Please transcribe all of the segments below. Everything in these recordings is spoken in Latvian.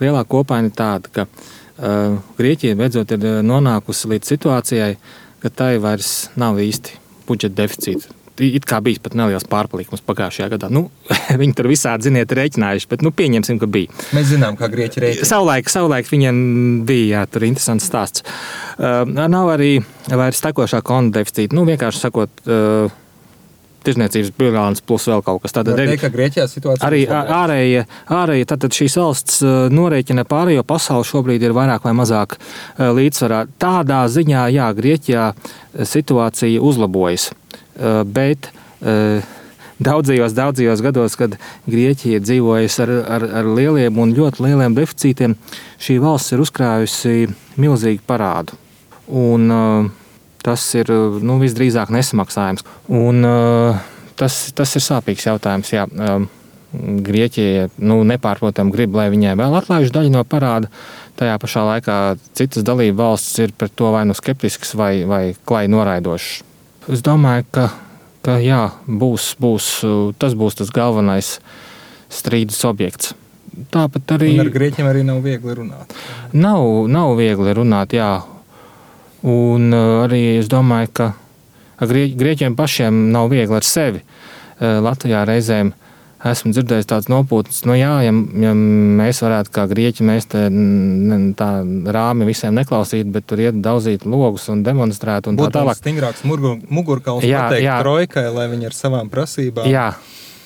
lielā kopaina ir tāda, ka Grieķija beidzot ir nonākusi līdz situācijai, ka tai vairs nav īsti budžeta deficīta. It kā bijis pat neliels pārpalikums pagājušajā gadā. Viņi tur visādi, ziniet, rēķinājuši, bet pieņemsim, ka bija. Mēs zinām, kā Grieķi rēķina. Savulaik viņiem bija, tur interesants stāsts. Nav arī vairs tekošā konta deficīta. Vienkārši sakot, tirzniecības bilants plus vēl kaut kas. Tātad ka Grieķijā situācija arī ārēji, tātad šīs valsts norēķina pārējo pasauli šobrīd ir vairāk vai mazāk līdzsvarā. Tādā ziņā, jā, Grieķijā situācija uzlabojas. Bet daudzajos gados, kad Grieķija dzīvojas ar lieliem un ļoti lieliem deficītiem, šī valsts ir uzkrājusi milzīgu parādu. Un tas ir visdrīzāk nesamaksājums. Un tas ir sāpīgs jautājums. Jā. Grieķija nepārprotami grib, lai viņai vēl atlaiž daļu no parāda. Tajā pašā laikā citas dalību valstis ir pret to vai skeptisks vai klai noraidošs. Es domāju, ka jā, tas būs tas galvenais strīdus objekts. Tāpat arī. Un ar Grieķiem arī nav viegli runāt. Nav viegli runāt, jā. Un arī es domāju, ka Grieķiem pašiem nav viegli ar sevi. Latvijā reizēm esmu dzirdējis tāds nopūtnes, ja mēs varētu kā Grieķi, mēs tā rāmi visiem neklausīt, bet tur iet daudzīt logus un demonstrēt un tā tālāk. Būtu stingrāks mugurkauls pateikt trojkai, lai viņi ar savām prasībām. Jā,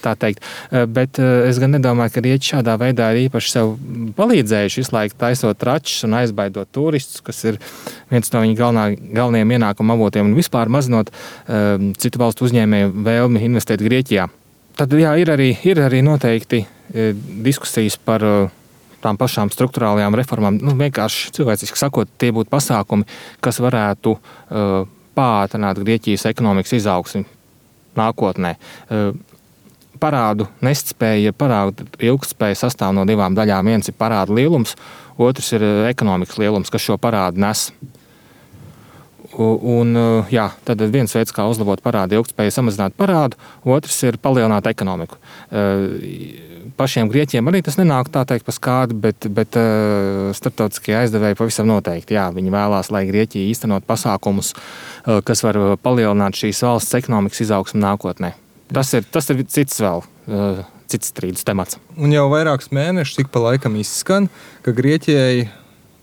tā teikt. Bet es gan nedomāju, ka Grieķi šādā veidā ir īpaši sev palīdzējuši visu laiku taisot tračus un aizbaidot turistus, kas ir viens no viņa galvenajiem ienākuma avotiem un vispār mazinot citu valstu uzņēmēju vēlmi investēt Grieķijā. Tad jā, ir arī noteikti diskusijas par tām pašām struktūrālajām reformām. Vienkārši cilvēciski sakot, tie būtu pasākumi, kas varētu pātrināt Grieķijas ekonomikas izaugsmi nākotnē. Parādu nespēja, parādu ilgtspēja sastāv no divām daļām. Viens ir parāda lielums, otrs ir ekonomikas lielums, kas šo parādu nes. Un, jā, tad viens veids, kā uzlabot parādu ilgtspēju, samazināt parādu, otrs ir palielināt ekonomiku. Pašiem Grieķiem arī tas nenāk tā teikt pa skādi, bet starptautiskie aizdevēji pavisam noteikti. Jā, viņi vēlās, lai Grieķija īstenot pasākumus, kas var palielināt šīs valsts ekonomikas izaugsmu nākotnē. Tas ir cits strīdus temats. Un jau vairākus mēnešus ik pa laikam izskan, ka Grieķijai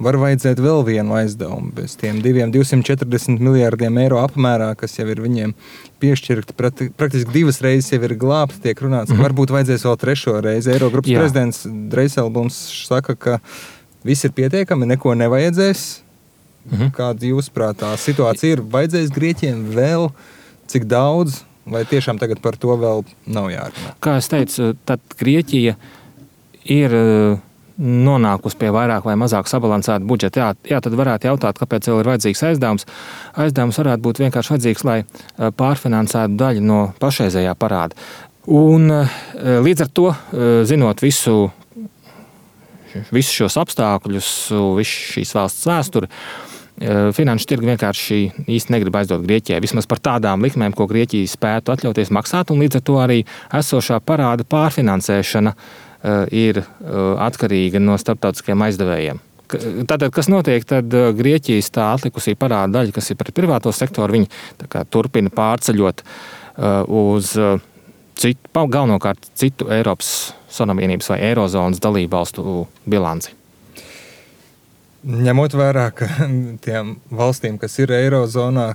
var vajadzēt vēl vienu aizdevumu bez tiem 240 miljārdiem eiro apmērā, kas jau ir viņiem piešķirti. Praktiski 2 reizes jau ir glābti, tiek runāts, ka varbūt vajadzēs vēl 3. reizi. Eirogrupas prezidents Dreiselblums saka, ka viss ir pietiekami, neko nevajadzēs. Kāda jūsuprāt tā situācija ir? Vajadzēs Grieķiem vēl cik daudz, vai tiešām tagad par to vēl nav jārunā? Kā es teicu, tad Grieķija ir nonākusi pie vairāk vai mazāk sabalansēta budžeta. Jā, tad varētu jautāt, kāpēc vēl ir vajadzīgs aizdevums. Aizdevums varētu būt vienkārši vajadzīgs, lai pārfinansētu daļu no pašreizējā parāda. Un līdz ar to, zinot visus šos apstākļus, visu šīs valsts vēsturi, finanšu tirgi vienkārši īsti negrib aizdot Grieķijai. Vismaz par tādām likmēm, ko Grieķija spētu atļauties maksāt, un līdz ar to arī esošā parāda pārfinansēšana ir atkarīga no starptautiskiem aizdevējiem. Tātad, kas notiek, tad Grieķijas tā atlikusī parāda daļa, kas ir pret privāto sektoru, viņi turpina pārceļot uz galvenokārt citu Eiropas Savienības vai Eirozonas dalībvalstu bilanci. Ņemot vērā, ka tiem valstīm, kas ir Eirozonā,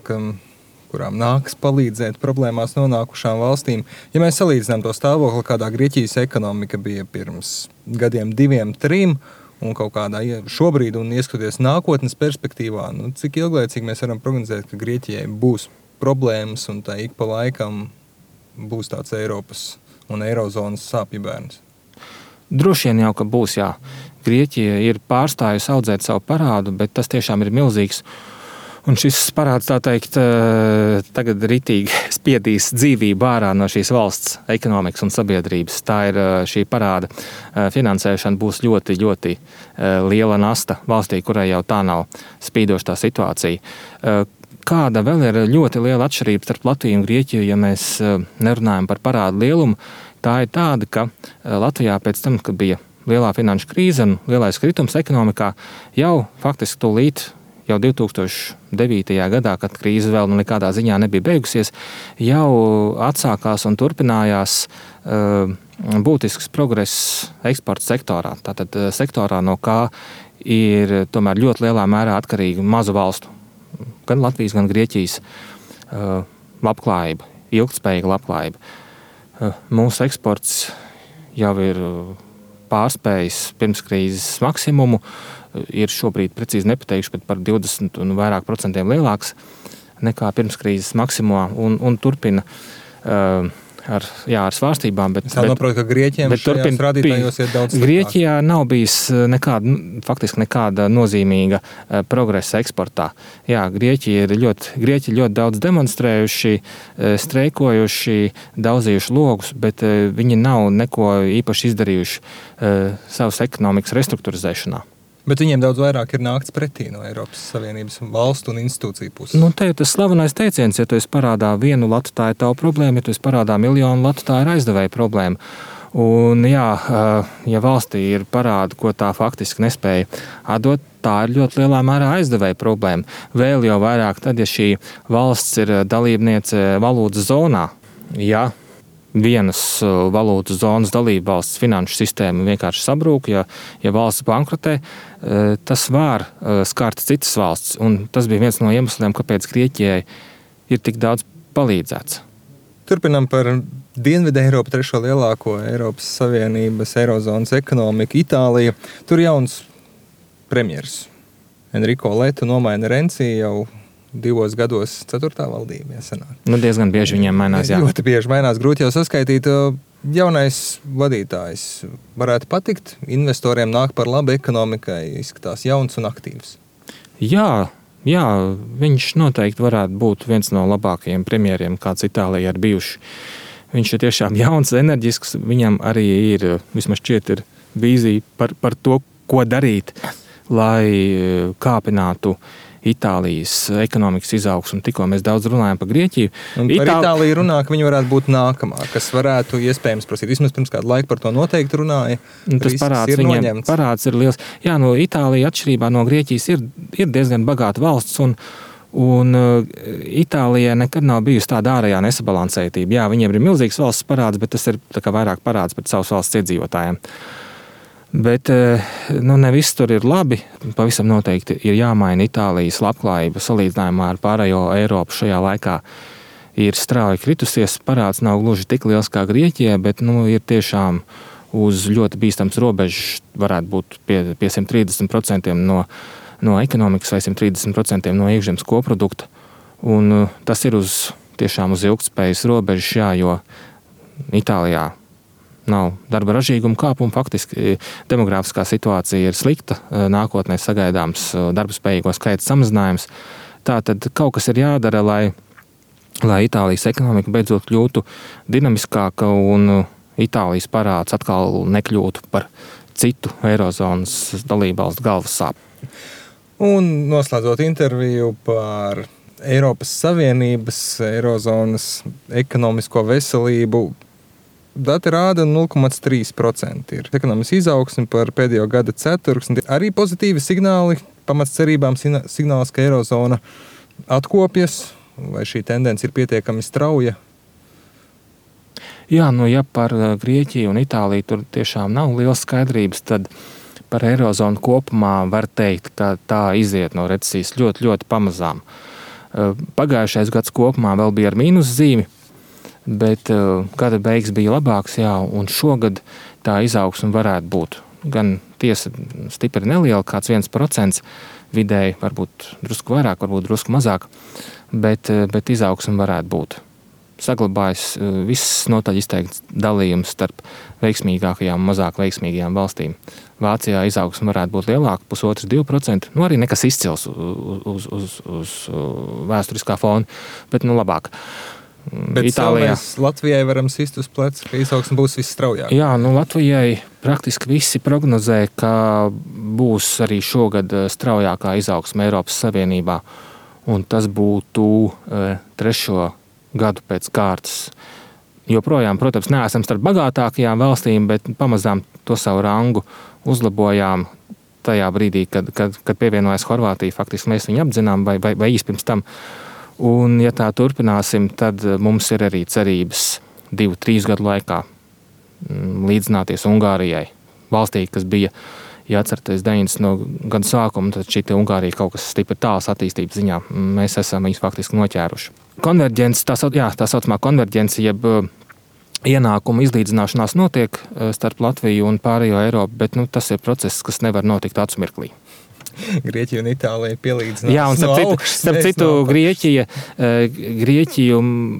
kurām nāks palīdzēt problēmās nonākušām valstīm. Ja mēs salīdzinām to stāvokli, kādā Grieķijas ekonomika bija pirms gadiem 2, 3, un kaut kādā šobrīd un ieskatoties nākotnes perspektīvā, cik ilglaicīgi mēs varam prognozēt, ka Grieķijai būs problēmas un tā ik pa laikam būs tāds Eiropas un Eirozonas sāpju bērns? Droši vien jau, ka būs, jā. Grieķija ir pārstājusi audzēt savu parādu, bet tas tiešām ir milzīgs. Un šis parāds, tā teikt, tagad ritīgi spiedīs dzīvību ārā no šīs valsts ekonomikas un sabiedrības. Tā ir šī parāda finansēšana būs ļoti, ļoti liela nasta valstī, kurai jau tā nav spīdoša tā situācija. Kāda vēl ir ļoti liela atšķirība starp Latviju un Grieķiju, ja mēs nerunājam par parādu lielumu, tā ir tāda, ka Latvijā pēc tam, kad bija lielā finanšu krīze un lielais kritums ekonomikā jau faktiski tūlīt jau 2009. gadā, kad krīze vēl nekādā ziņā nebija beigusies, jau atsākās un turpinājās būtisks progress eksporta sektorā. Tātad sektorā, no kā ir tomēr ļoti lielā mērā atkarīga mazu valstu, gan Latvijas, gan Grieķijas labklājība, ilgtspējīga labklājība. Mūsu eksports jau ir pārspējis pirms krīzes maksimumu, ir šobrīd precīzi nepateikšu, bet par 20 un vairāk procentiem lielāks nekā pirms krīzes maksimumā un turpina ar svārstībām. Es saprotu, ka Grieķiem šajās rādītājos ir daudz sliktāk. Grieķijā nav bijis faktiski nekāda nozīmīga progresa eksportā. Jā, Grieķi ļoti daudz demonstrējuši, streikojuši, daudzījuši logus, bet viņi nav neko īpaši izdarījuši savas ekonomikas restruktūrizēšanā. Bet viņiem daudz vairāk ir nākts pretī no Eiropas Savienības valstu un institūciju puses. Te ir tas slavenais teiciens, ja tu esi parādā 1 latu, tā ir tava problēma, ja tu esi parādā 1 000 000 latu, tā ir aizdevēja problēma. Un ja valstī ir parādi, ko tā faktiski nespēja atdot, tā ir ļoti lielā mērā aizdevēja problēma. Vēl jau vairāk tad, ja šī valsts ir dalībniece valūtas zonā, ja vienas valūtas zonas dalībvalsts finanšu sistēma vienkārši sabrūk, ja valsts bankrotē, tas var skart citas valsts. Un tas bija viens no iemesliem, kāpēc Grieķijai ir tik daudz palīdzēts. Turpinām par Dienvidu Eiropu, 3. lielāko Eiropas Savienības eirozonas ekonomiku, Itālija. Tur jauns premjers Enrico Letta nomaina Renzi jau 2 gados 4. valdība. Diezgan bieži viņiem mainās. Jā. Ļoti bieži mainās, grūti jau saskaitīt. Jaunais vadītājs varētu patikt, investoriem nāk par labu ekonomikai, izskatās jauns un aktīvs. Jā, viņš noteikti varētu būt viens no labākajiem premjeriem, kāds Itālijā ir bijuši. Viņš ir tiešām jauns, enerģisks, viņam arī ir, vismaz šķiet, ir vīzija par to, ko darīt, lai kāpinātu Itālijas ekonomikas izaugsmu. Tikko mēs daudz runājam par Grieķiju. Un par Itāliju runā, ka viņi varētu būt nākamā, kas varētu iespējams prasīt. Vismaz pirms kādu laiku par to noteikti runāja. Tas parāds ir liels. Jā, Itālija atšķirībā no Grieķijas ir diezgan bagāta valsts un Itālijai nekad nav bijusi tāda ārējā nesabalansētība. Jā, viņiem ir milzīgs valsts parāds, bet tas ir vairāk parāds pret savas valsts iedzīvotājiem. Bet ne viss tur ir labi. Pavisam noteikti ir jāmaina Itālijas labklājība salīdzinājumā ar pārējo Eiropu šajā laikā. Ir strauji kritusies, parāds nav gluži tik liels kā Grieķijai, bet ir tiešām uz ļoti bīstams robežas, varētu būt pie 130% no ekonomikas vai 130% no iekšzemes koprodukta. Un tas ir tiešām uz ilgtspējas robežas, jo Itālijā nav darba ražīguma kāpuma. Faktiski demogrāfiskā situācija ir slikta. Nākotnē sagaidāms darba spējīgo skaita samazinājums. Tātad kaut kas ir jādara, lai Itālijas ekonomika beidzot kļūtu dinamiskāka un Itālijas parāds atkal nekļūtu par citu eirozonas dalībvalstu galvas sāpju. Un noslēdzot interviju par Eiropas Savienības eirozonas ekonomisko veselību, dati rāda 0,3% ir ekonomikas izaugsme par pēdējo gada ceturksni. Arī pozitīvi signāli, pamats cerībām signāls, ka eirozona atkopjas, vai šī tendence ir pietiekami strauja? Jā, ja par Grieķiju un Itāliju tur tiešām nav liels skaidrības, tad par eirozonu kopumā var teikt, ka tā iziet no recesijas ļoti, ļoti pamazām. Pagājušais gads kopumā vēl bija ar mīnuszīmi, bet gada beigas bija labāks, un šogad tā izaugsme varētu būt. Gan tiesa stipri neliela, kāds 1%, vidēji varbūt drusku vairāk, varbūt drusku mazāk, bet izaugsme varētu būt. Saglabājas viss notaļ izteikts dalījums starp veiksmīgākajām un mazāk veiksmīgajām valstīm. Vācijā izaugsme varētu būt lielāka, 1,5–2%, arī nekas izcils uz vēsturiskā fona, bet labāk. Bet Itālijā mēs Latvijai varam sist uz pleca, ka izaugsme būs visstraujāk. Jā, Latvijai praktiski visi prognozē, ka būs arī šogad straujākā izaugsme Eiropas Savienībā. Un tas būtu 3. gadu pēc kārtas. joprojām, protams, neesam starp bagātākajām valstīm, bet pamazām to savu rangu uzlabojām tajā brīdī, kad pievienojas Horvātija. Faktiski mēs viņu apdzinām vai īsti pirms tam. Un, ja tā turpināsim, tad mums ir arī cerības 2-3 gadu laikā līdzināties Ungārijai. Valstī, kas bija, ja atceraties, 90. gadu sākumu, tad šī Ungārija kaut kas stipri tāls attīstības ziņā. Mēs esam viņus faktiski noķēruši. Konverģence, tā saucamā konverģence, jeb ienākumu izlīdzināšanās notiek starp Latviju un pārējo Eiropu, bet tas ir process, kas nevar notikt acu mirklī. Grieķija un Itālija pielīdzinās. Jā, un starp citu Grieķiju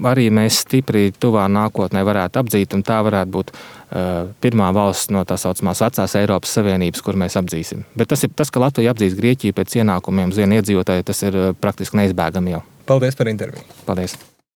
arī mēs stipri tuvā nākotnē varētu apdzīt, un tā varētu būt pirmā valsts no tā saucamās vecās Eiropas Savienības, kur mēs apdzīsim. Bet tas, ka Latvija apdzīs Grieķiju pēc ienākumiem uz vienu iedzīvotāju, tas ir praktiski neizbēgami jau. Paldies par interviju. Paldies.